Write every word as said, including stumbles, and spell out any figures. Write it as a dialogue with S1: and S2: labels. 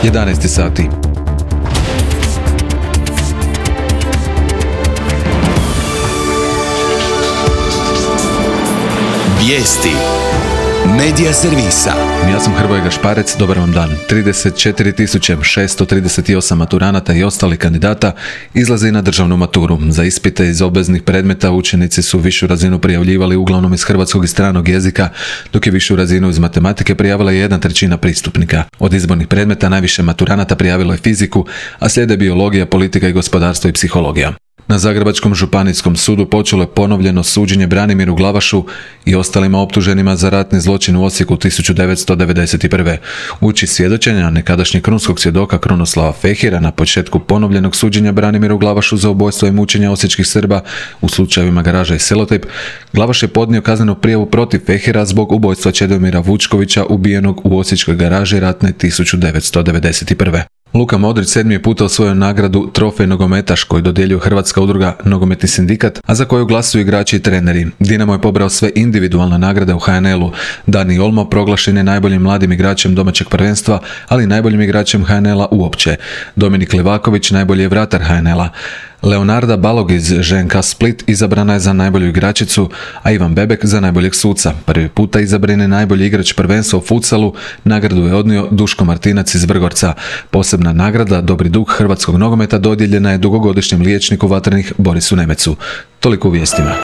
S1: jedanaest sati.
S2: Vijesti Medija servisa.
S1: Ja sam Hrvoje Gašparec, dobar vam dan. trideset četiri tisuće šesto trideset osam maturanata i ostali kandidata izlazi na državnu maturu. Za ispite iz obveznih predmeta učenici su višu razinu prijavljivali uglavnom iz hrvatskog i stranog jezika, dok je višu razinu iz matematike prijavila jedna trećina pristupnika. Od izbornih predmeta najviše maturanata prijavilo je fiziku, a slijede biologija, politika i gospodarstvo i psihologija. Na Zagrebačkom županijskom sudu počelo je ponovljeno suđenje Branimiru Glavašu i ostalima optuženima za ratni zločin u Osijeku tisuću devetsto devedeset prve. Uči svjedočenja nekadašnjeg krunskog svjedoka Krunoslava Fehira na početku ponovljenog suđenja Branimiru Glavašu za ubojstvo i mučenje osječkih Srba u slučajevima Garaža i Selotejp, Glavaš je podnio kaznenu prijavu protiv Fehira zbog ubojstva Čedomira Vučkovića ubijenog u osječkoj garaži ratne tisuću devetsto devedeset prve. Luka Modrić sedmi je puta osvojio nagradu Trofej nogometaš koju dodjeljuje Hrvatska udruga Nogometni sindikat, a za koju glasuju igrači i treneri. Dinamo je pobrao sve individualne nagrade u ha en el-u. Dani Olmo proglašen je najboljim mladim igračem domaćeg prvenstva, ali i najboljim igračem ha en el-a uopće. Dominik Livaković najbolji je vratar ha en el-a. Leonarda Balog iz že en ka Split izabrana je za najbolju igračicu, a Ivan Bebek za najboljeg suca. Prvi puta izabran je najbolji igrač prvenstva u futsalu, nagradu je odnio Duško Martinac iz Vrgorca. Posebna nagrada Dobri duh hrvatskog nogometa dodijeljena je dugogodišnjem liječniku vatrenih Borisu Nemecu. Toliko u vijestima.